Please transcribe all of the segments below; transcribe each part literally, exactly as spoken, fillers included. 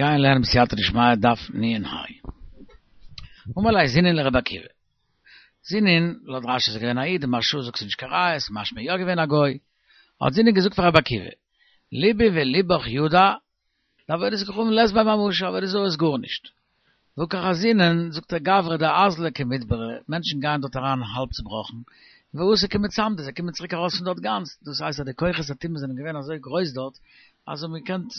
גייען לערנען בסייעתא דשמיא דף נ ה. אמר ליה זינין לרבי עקיבא. זינין, לויט רשי איז ער געווען א איד, די מהרשא זאגט ס'איז נישט קיין ראיה, ס'איז משמע יא געווען א גוי. האט זינין געזאגט פאר רבי עקיבא, לבי ולבך ידע, דעבודת כוכבים לית בה ממשא, עבודה זרה איז גארנישט. והא קא חזינן, זאגט ער גברי דאזלי כמטברי, מענטשן גייען דארט אריין האלב צובראכן, ואתו כמצמדי, זיי קומען צוריק ארויס פון דארט גאנץ, דאס הייסט אז די כוחות הטומאה זענען געווען אזוי גרויס דארט, אז זיי האבן געקענט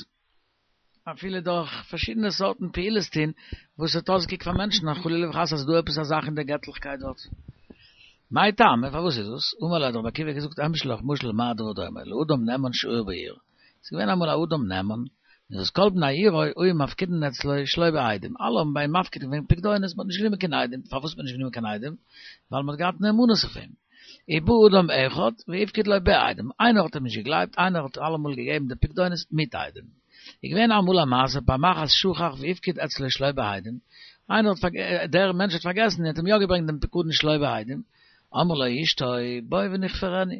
אפילו דורך פארשידענע סארטן פעולות טון וואס האט אויסגעקוקט פאר מענטשן אז חלילה וחס אז ס'איז דא עפעס א זאך אין דער געטליכקייט דארט. מאי טעמא? פארוואס איז דאס? אמר ליה האט רבי עקיבא געזאגט אמשול לך משל למה הדבר דומה, לאדם נאמן שהיה בעיר, ס'איז געווען אמאל א אדם נאמן, און וואס כל בני עירו היו מפקידין אצלו שלא בעדים, אלע האבן ביי אים מפקיד געווען פקדונות, מ'האט נישט גענומען קיין עדים, פארוואס האט מען נישט גענומען קיין עדים? ווייל מ'האט געהאט נאמנות אויף אים. ובא אדם אחד והפקיד לו בעדים, איינער האט אים נישט געגלייבט, איינער האט אלעמאל געגעבן די פקדונות מיט עדים. איז געווען אמאל א מעשה פעם אחת שכח והפקיד אצלו שלא בעדים, איינער האט דער מענטש האט פארגעסן און האט אים יא געברענגט דעם פקדון שלא בעדים, אמרה לו אשתו בוא ונכפרנו,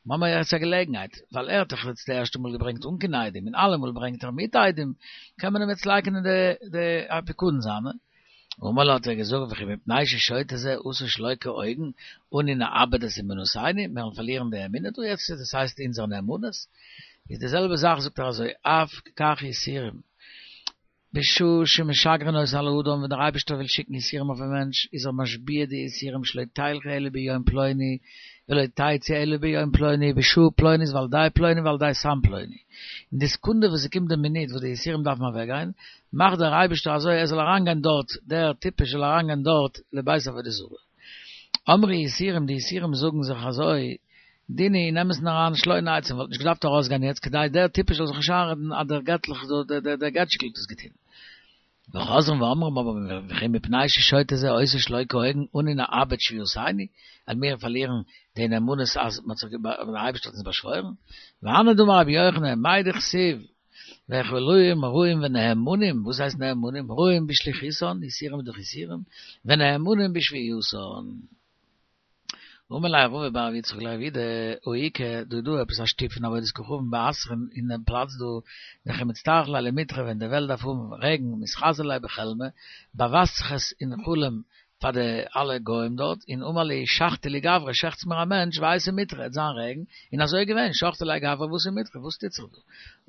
מ'האמיר יעצט א געלעגנהייט, ווייל ער האט דאך יעצט די ערשטע מאל געברענגט אן קיין עדים, און אלעמאל ברענגט ער מיט עדים, קען מען אים יעצט לייקענען די די פקדון זיינע. אמר לה האט ער געזאגט וכי מפני ששוטה זה עשה שלא כהוגן, אנו נאבד את אמונתנו, מיר וועלן פארלירן די אמונה דא יעצט, דאס הייסט אונזער נאמנות, איז די זעלבע זאך זאגט ער אזוי, אף כך יסורים, בשעה שמשגרין אותן על האדם ווען דער אייבערשטער וויל שיקן יסורים אויפן מענטש איז ער משביע די יסורים שלא תלכו אלא ביום פלוני ולא תצאו אלא ביום פלוני בשעה פלונית ועל ידי פלוני ועל ידי סם פלוני אין די סעקונדע וואס ס'קומט די מינוט וואס די יסורים דארפן אוועקגיין מאכט דער אייבערשטער אזוי ער זאל אריינגיין דארט דער טיפש זאל אריינגיין דארט לבית עבודה זרה אמרו יסורים די יסורים זאגן זיך אזוי דין הוא אין אמת'ן אריין שלא נצא מ'וואלט נישט געדארפט ארויסגיין יעצט כדי דער טיפש זאל זיך נישט איינרעדן אז דער געטליך דער געטשיקל האט עס געטון. וחוזרים ואומרים אבער וכי מפני ששוטה זה עושה שלא כהוגן אנו נאבד שבועתנו, וועלן מיר פארלירן די נאמנות אז מ'האט זיך דער אייבערשטער האט אונז באשוואוירן, והני דאמר רבי יוחנן מאי דכתיב והאכילוהם רעים ונאמנים, וואס הייסט נאמנים? רעים בשליחותן, יסורים איז דאך יסורים, ונאמנים בשבועתן. אמר ליה רבא בר יצחק לרב יהודה הא איכא דא איז דא עפעס א שטוב פון עבודת כוכבים באתרין אין דעם פלאץ דא דכי מצטרך ליה למיטרא ווען די וועלט דארף האבן רעגן מתחזי ליה בחלמא באווייזט זיך עס אין חלום פאר די אלע גוים דארט און אמר להו שחטו לי גברא שעכטס מיר א מענטש ואייתי מיטרא עט זיין רעגן און אזוי איז געווען שחטו ליה גברא ואתא מיטרא וואס טוט זיך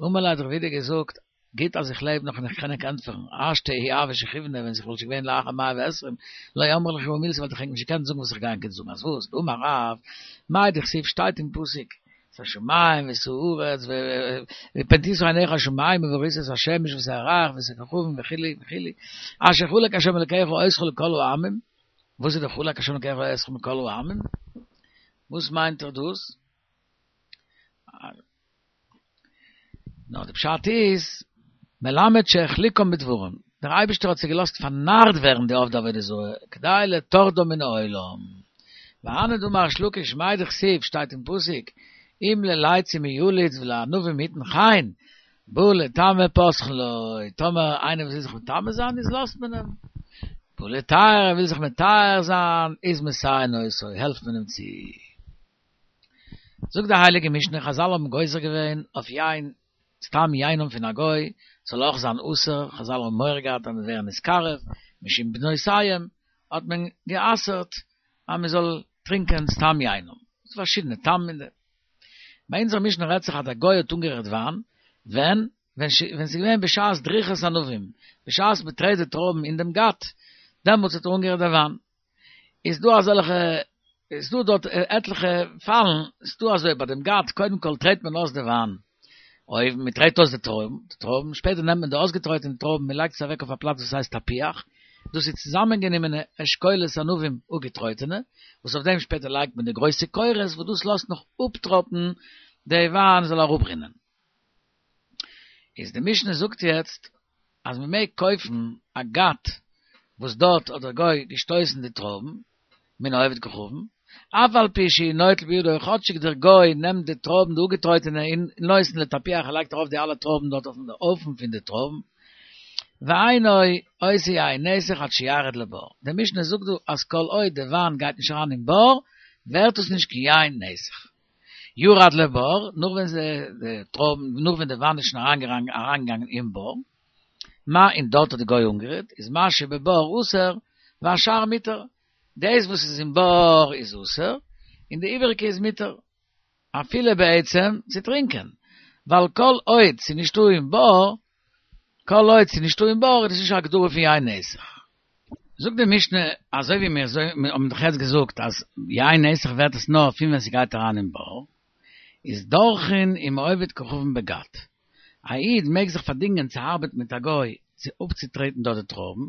דא אמר ליה האט רב יהודה געזאגט גוט אז איך לעב נאך און איך קען ענק ענטפערן, השתא אי הוה שכיבנא ווען איך וואלט שוין געווען לאחר מאה ועשרים, לא אמרי לכו מילתא וואלט איך ענק נישט געקענט זאגן וואס איך גיי ענק יעצט זאגן, אז וואס? דאמר רב, מאי דכתיב שטייט אין פסוק, את השמים ואת הארץ ופן תשא עיניך השמימה וראית את השמש ואת הירח ואת הכוכבים וכו' וכו', אשר חלק השם אלקיך אותך לכל העמים, וואס איז די חלק השם אלקיך אותך מכל העמים? וואס מיינט ער דאס? נאר די פשט איז, מלמד שהחליקם בדברים, דער אייבערשטער האט זיי געלאזט פארנארט ווערן די עובדי עבודה זרה, כדי לטורדם מן העולם. והני דאמר ריש לקיש מאי דכתיב שטייט אין פסוק, אם ללצים יליץ ולענווים יתן חן, בא לטמא פותחין לו, טאמער איינער וויל זיך מטמא זיין איז לאזט מען אים, בא לטהר ער וויל זיך מטהר זיין איז מסייעין אותו, העלפט מען אים צו. זאגט די הייליגע משנה, חזל האבן גוזר געווען אויף יין, סתם יינם פון א גוי, זאל אויך זיין אסור, חזל האבן מורא געהאט אז מ'וועט ווערן נתקרב, משום בנותיהם, האט מען גע'אסר'ט אז מען זאל טרינקען סתם יינם, ס'איז פארשידענע טעמים אין דעם. ביי אונזער משנה רעדט זיך אז א גוי האט אנגערירט וויין, ווען? ווען ס'איז געווען בשעת דריכת ענבים, בשעת מ'טרעט די טרויבן אין דעם גת, דעמאלטס האט ער אנגערירט די וויין. איז דא אזעלכע, איז דא דארט עטליכע פאלן, איז דא אזוי ביי דעם גת, קודם כל טרעט מען אויס די וויין, אויבן, מען טרעט אויס די טרויבן, די טרויבן, שפעטער נעמט מען די אויסגעטרויטענע טרויבן, מען לייגט עס אוועק אויף א פלאץ וואס הייסט טפיח, דאס איז צוזאמענגענומענע אשכולות ענבים אפגעטרויטענע, וואס אויף דעם שפעטער לייגט מען די גרויסע קורות, וואס דאס לאזט נאך אפטראפן די וויין זאל אראפרינען. איז די משנה זאגט יעצט אז מען מעג קויפן א גת וואס דארט האט דער גוי געשטויסן די טרויבן מן העובד כוכבים, אף על פי שהוא נוטל בידו כאטשיג דער גוי נעמט די טרויבן די אפגעטרויטענע און נותן לטפיח ער לייגט ארויף די אלע טרויבן דארט אויפן הויפן פון די טרויבן, ואינו עושה יין נסך עד שירד לבור, די משנה זאגט דא אז כל עוד די וויין גייט נישט אריין אין בור ווערט עס נישט קיין יין נסך. ירד לבור, נאך ווען די טרויבן, נאך ווען די וויין איז שוין אריינגעגאנגען אין בור, מה אין דארט האט די גוי אנגערירט, איז מה שבבור אסור, והשאר מותר. דאס וואס איז אין בור איז אסור, און די איבעריגע איז מותר. אפילו בעצם צו טרינקען. ווייל כל עוד ס'איז נישטא אין בור, כל עוד ס'איז נישטא אין בור, איז דאס נישט א הגדרה פון יין נסך. זאגט די משנה, אזוי ווי מיר האבן דאך יעצט געזאגט אז יין נסך ווערט עס נאר פון ווען ס'גייט אריין אין בור, איז דורכין עם העובד כוכבים בגת. א איד מעג זיך פארדינגען צו ארבעטן מיט א גוי צו אפצוטרעטן דארט די טרויבן,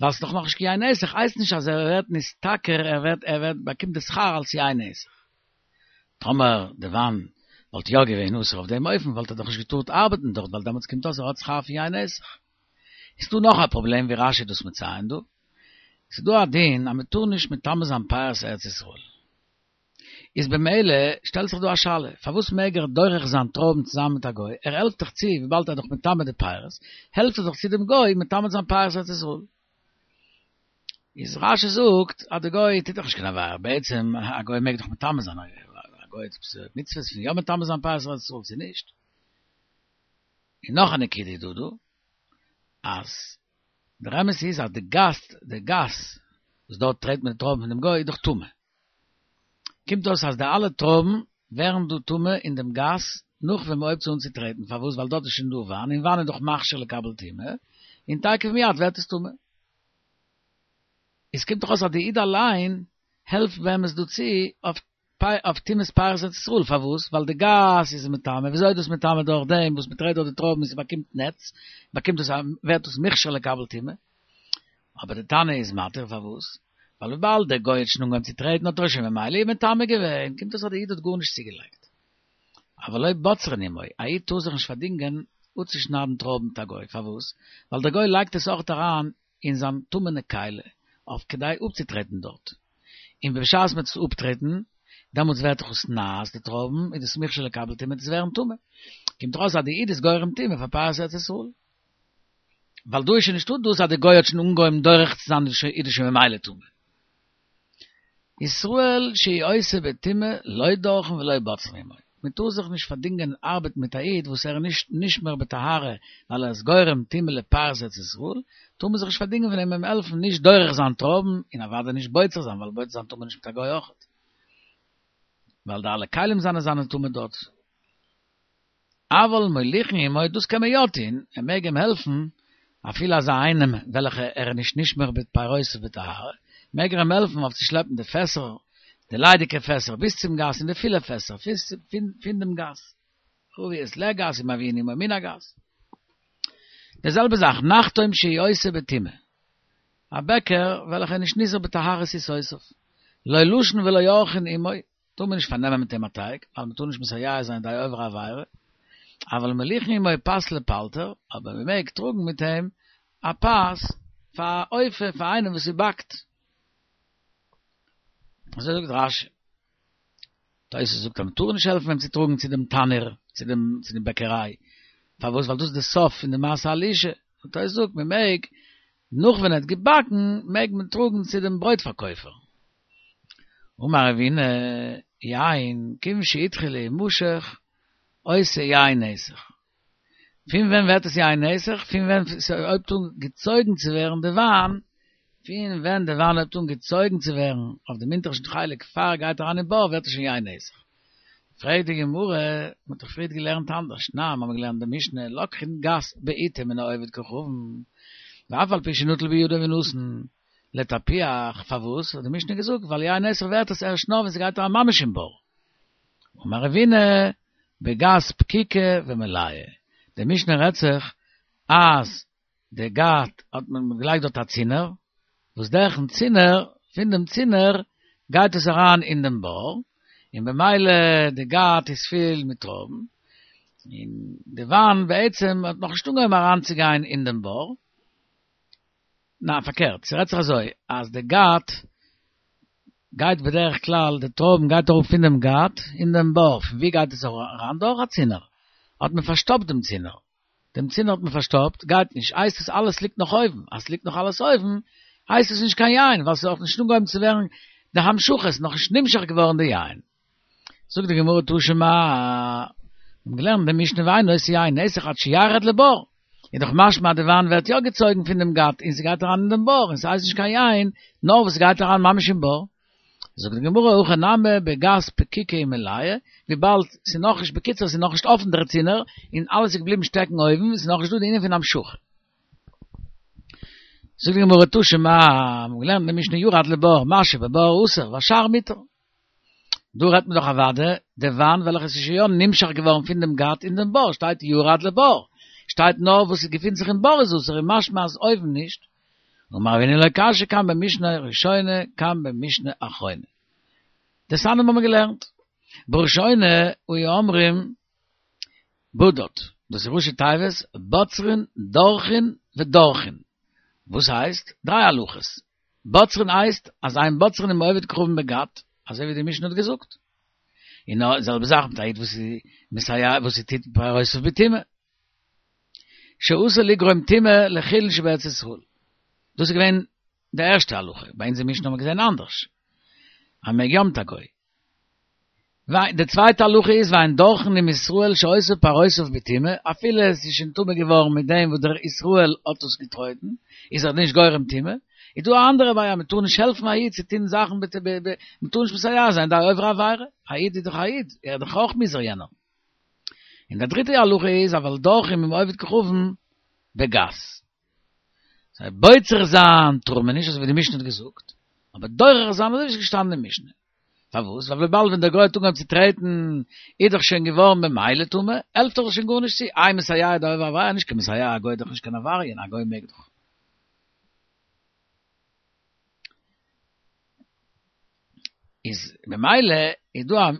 ווייל ס'איז דאך נאכנישט קיין יין נסך, הייסט נישט אז ער ווערט נשתכר, ער ווערט ער ווערט באקומט די שכר אלס יין נסך. טאמער די וויין וואלט יא געווען אסור אויף דעם אופן וואלט ער דאך נישט געטארט ארבעטן דארט ווייל דעמאלטס קומט אויס ער האט שכר פון יין נסך. איז דא נאך א פראבלעם ווי רש"י איז דאס מציין דא. ס'איז דא א דין אז מ'טאר נישט מטמא זיין פירות ארץ ישראל. איז במילא שטעלט זיך דא א שאלה, פארוואס מעג ער דורך זיין טרויבן צוזאמען מיט א גוי, ער העלפט דאך צו וויבאלד ער איז דאך מטמא די פירות, העלפט ער דאך צו דעם גוי מטמא זיין פירות ארץ ישראל. איז רש"י זאגט אז די גוי טוט דאך נישט קיין עבירה, בעצם א גוי מעג דאך מטמא זיין, א גוי האט עפעס מצוות פון יא מטמא זיין פירות ארץ ישראל צו נישט? און נאך א נקודה איז דא דא, אז דער אמת איז אז די גת, די גת וואס דארט טרעט מען די טרויבן פון דעם גוי איז דאך טמא. קומט אויס אז די אלע טרויבן ווערן דא טמא אין דעם גת נאך ווען מען הויבט עס אן צו טרעטן, פארוואס? ווייל דארט איז שוין דא וויין, און וויין איז דאך מכשיר לקבל טומאה, און תיכף ומיד ווערט עס טמא. עס קומט דאך אויס אז די איד אליין העלפט באמת דא צו אויף אויף טומאת פירות ארץ ישראל, פארוואס? ווייל די גת איז מטמא, וויאזוי איז דאס מטמא? דורך דעם וואס מען טרעט דארט די טרויבן און ס'באקומט נעץ, באקומט דאס א ווערט דאס מוכשר לקבל טומאה. אבער די תנא איז מתיר, פארוואס? ווייל וויבאלד דער גוי האט שוין אנגעהויבן צו טרעטן האט ער שוין ממילא אים מטמא געווען, קומט אויס אז די איד האט גארנישט צוגעלייגט. אבל לא בוצרין עמו, א איד טאר זיך נישט פארדינגען אפצושניידן טרויבן מיט א גוי, פארוואס? ווייל דער גוי לייגט עס אויך אריין אין זיין טמא'נע כלי, אויף כדי אפצוטרעטן דארט. און בשעת מ'טוט עס אפטרעטן, דעמאלטס ווערט דאך עס נאס די טרויבן, איז דאס מוכשר לקבל טומאה, וועט עס ווערן טמא. קומט דאך אויס אז די איד איז גורם טומאה פאר פירות ארץ ישראל. ווייל דא איז שוין נישטא דאס אז די גוי האט שוין אנגעהויבן דורך צו זיין איז דאס שוין ממילא טמא. ישראל שהוא עושה בטומאה לא דורכין ולא בוצרין עמו. מען טאר זיך נישט פארדינגען ארבעטן מיט א איד וואס ער איז נישט נשמר בטהרה ווייל ער איז גורם טומאה לפירות ארץ ישראל, טאר מען זיך נישט פארדינגען פון אים אים העלפן נישט דורך זיין טרויבן און אוודאי נישט בוצר זיין ווייל בוצר זיין טאר מען נישט מיט א גוי אויכעט ווייל די אלע כלים זיינע זיינען טמא דארט. אבל מוליכין עמו, דאס קען מען יא טון, ער מעג אים העלפן, אפילו אזא איינעם וועלכע ער איז נישט נשמר בפירותיו בטהרה, מעג ער אים העלפן אויף צו שלעפן די פעסער, די ליידיגע פעסער ביז צום גת און די פילע פעסער פון דעם גת, חביות לגת ומביאין עמו מן הגת. די זעלבע זאך, נחתום שהוא עושה בטומאה, א בעקער וועלכע איז נישט נזהר בטהרת עיסותיו, לא לשין ולא עורכין עמו, טאר מען נישט פארנעמען מיט אים א טייג, ווייל מען טאר נישט מסייע זיין די עובר עבירה, אבל מוליכין עמו פת לפלטר, אבער מען מעג טראגן מיט אים א פת פאר א אופה פאר איינעם וואס ס'באקט. אזוי זאגט רש"י. תוס' זאגט אז מען טאר נישט העלפן אים צו טראגן צו דעם תנור, צו דעם צו דעם בעקעריי, פארוואס? ווייל דאס איז די סוף פון די מעשה הלישה. און תוס' זאגט מען מעג, נאך ווען ער האט געבאקן, מעג מען טראגן צו דעם ברויט פארקויפער. אמר רבינא, יין, כיוון שהתחיל להימשך, עושה יין נסך. פון ווען ווערט עס יין נסך? פון ווען ס'הויבט אן געצויגן צו ווערן די וויין, פון ווען די וויין הויבט אן געצויגן צו ווערן אויף דעם אונטערשטן חלק פאר ער גייט אריין אין בור ווערט עס שוין יין נסך. פרעגט די גמרא, מ'האט דאך פריערט געלערנט אנדערש, תנן, מ'האמיר געלערנט די משנה, לוקחין גת בעיטה מן העובד כוכבים, ואף על פי שנטל בידו ונתן, לטפיח, פארוואס האט די משנה געזאגט ווייל יין נסך ווערט עס ערשט נאר ווען ס'גייט אריין ממש אין בור. אמר רבינא, בגת פקוקה ומלאה, די משנה רעדט זיך אז די גת האט מען געלייגט דארט א צינור, וואס דורכן צינור, פון דעם צינור גייט עס אריין אין דעם בור, און במילא די גת איז פיל מיט טרויבן, און די וויין בעצם האט נאכנישט אנגעהויבן אריינצוגיין אין דעם בור, ניין פארקערט, ס'רעדט זיך אזוי, אז די גת גייט בדרך כלל, די טרויבן גייט אראפ פון דעם גת אין דעם בור, פון ווי גייט עס אריין? דורך א צינור, האט מען פארשטאפט דעם צינור, דעם צינור האט מען פארשטאפט, גייט נישט, הייסט עס אלעס ליגט נאך אויבן, אז ס'ליגט נאך אלעס אויבן, הייסט עס נישט קיין יין, ווייל ס'איז נאך נישט אנגעהויבן צו ווערן די המשכה, ס'איז נאך נישט נמשך געווארן די יין. זאגט די גמרא תא שמע, מיר האבן געלערנט די משנה ואינו עושה יין נסך עד שירד לבור, איז דאך משמע די וויין ווערט יא געצויגן פון דעם גת און ס'גייט אריין אין דעם בור און ס'הייסט נישט קיין יין נאר וואס ס'גייט אריין ממש אין בור. זאגט די גמרא הכא נמי בגת פקוקא ומליא, וויבאלד ס'איז נאכנישט בקיצור ס'איז נאכנישט אפן דער צינור און אלעס איז געבליבן שטעקן אויבן ס'איז נאכנישט דא די ענין פון המשכה. זאגט די גמרא תא שמע, מ'האט געלערנט אין די משנה ירד לבור מה שבבור אסור והשאר מותר. דא רעדט מען דאך אוודאי די וויין וועלכע איז שוין יא נמשך געווארן פון דעם גת אין דעם בור, שטייט ירד לבור, שטייט נאר וואס עס געפינט זיך אין בור איז אסור און משמע אז אויבן נישט. אמר רבינא לא קשיא כאן במשנה ראשונה כאן במשנה אחרונה. דתניא האבן מיר געלערנט בראשונה היו אומרים בדד, דאס איז ראשי תיבות בוצרין דורכין ודורכין, וואס הייסט דריי הלכות, בוצרין הייסט אז אין בוצרין עם עובד כוכבים בגת, אזוי ווי די משנה האט געזאגט, און די זעלבע זאך מיט א איד וואס איז מסייע וואס ער טוט פירותיו בטומאה, שאסור לגרום טומאה לחולין שבארץ ישראל, דאס איז געווען די ערשטע הלכה, ביי אונז אין משנה האט מען געזען אנדערש, אז מען מעג יא מיט א גוי. די צווייטע הלכה איז ואין דורכין עם ישראל שעושה פירותיו בטומאה, אפילו עס איז שוין טמא געווארן מיט דעם וואס דער ישראל האט עס געטרויטן, איז ער נישט גורם טומאה, איז דא א אנדערע בעיה, מען טאר נישט העלפן א איד צו טון זאכן, מען טאר נישט מסייע זיין דער עובר עבירה, א איד איז דאך א איד, ער איז דאך אויך מוזהר יענער. און די דריטע הלכה איז אבל דורכים עם עובד כוכבים בגת. זיי בוצר זיין טאר מען נישט אזוי ווי די משנה האט געזאגט, אבער דורך זיין אזוי ווי עס איז געשטאנען אין משנה. פארוואס? ווייל וויבאלד ווען דער גוי האט אנגעהויבן צו טרעטן איז דאך שוין געווארן במילא טמא, העלפט דאך שוין גארנישט צו, איי מסייע דער עובר עבירה, נישט קיין מסייע, א גוי איז דאך נישט קיין עבריין, א גוי מעג דאך. איז במילא איז דא א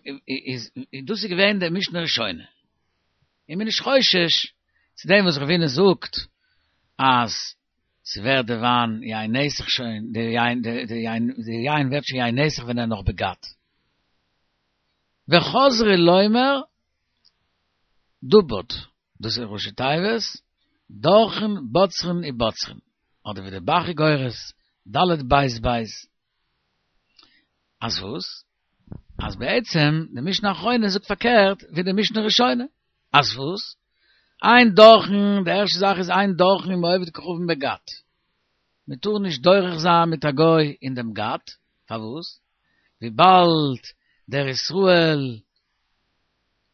איז דאס איז געווען די משנה ראשונה. און מ'איז נישט חושש צו דעם וואס רבינא זאגט אז ס'ווערט די וויין יין נסך שוין, די יין די יין די יין ווערט שוין יין נסך ווען ער נאך בגת. וחזרו לומר דבוד, דאס איז ראשי תיבות, דורכין בוצרין ובוצרין, אדער ווי די ב"ח איז גורס, ד' בית בית. אז וואס? אז בעצם די משנה אחרונה זאגט פארקערט ווי די משנה ראשונה. אז וואס? אין דורכין, די ערשטע זאך איז אין דורכין עם עובד כוכבים בגת. מען טאר נישט דורך זיין מיט א גוי אין דעם גת, פארוואס? וויבאלד דער ישראל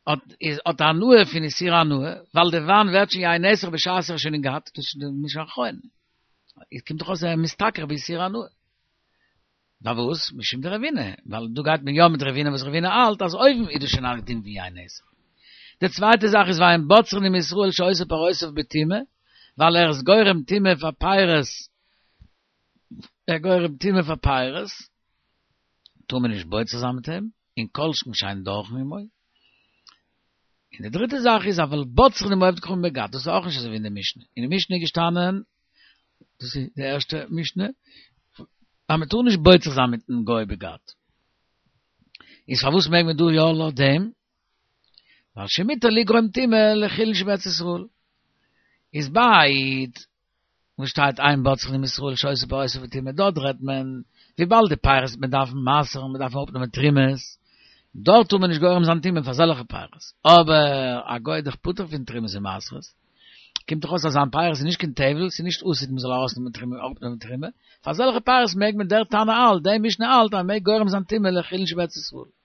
האט איז האט הנאה פון איסור הנאה, ווייל די וויין ווערט שוין יין נסך בשעת ער איז שוין אין גת, דאס איז די משנה אחרונה. עס קומט דאך אויס ער איז משתכר באיסור הנאה. פארוואס? משום דרבינא, ווייל דא גייט מען יא מיט רבינא וואס רבינא האלט אז אויבן איז דאס שוין א דין ווי יין נסך. די צווייטע זאך איז ואין בוצרין עם ישראל שעושה פירותיו בטומאה, ווייל ער איז גורם טומאה פאר פירות, ער גורם טומאה פאר פירות, טאר מען נישט בוצר זיין מיט אים, און כל שכן שאין דורכין עמו. און די דריטע זאך איז אבל בוצרין עם עובד כוכבים בגת, דאס איז אויך נישט אזוי ווי אין די משנה, אין די משנה איז געשטאנען, דאס איז די ערשטע משנה, אז מען טאר נישט בוצר זיין מיטן גוי בגת. איז פארוואס מעג מען דא יא לויט דעם? ווייל שמותר לגרום טומאה לחולין שבארץ ישראל. איז ביי וואס שטייט אין בוצרין עם ישראל שעושה פירותיו בטומאה דארט רעדט מען וויבאלד די פירות וועט מען דארפן מעשר'ן מען דארף אראפנעמען תרומות דארט טאר מען נישט גורם זיין טומאה פאר אזעלכע פירות אבער א גוי איז דאך פטור פון תרומות און מעשרות קומט דאך אויס אז זיין פירות איז נישט קיין טבל ס'איז נישט עתיד מען זאל ארויסנעמען תרומה אראפנעמען תרומה פאר אזעלכע פירות מעג מען דער תנא האלט די משנה האלט אז מען מעג גורם זיין טומאה לחולין שבארץ ישראל.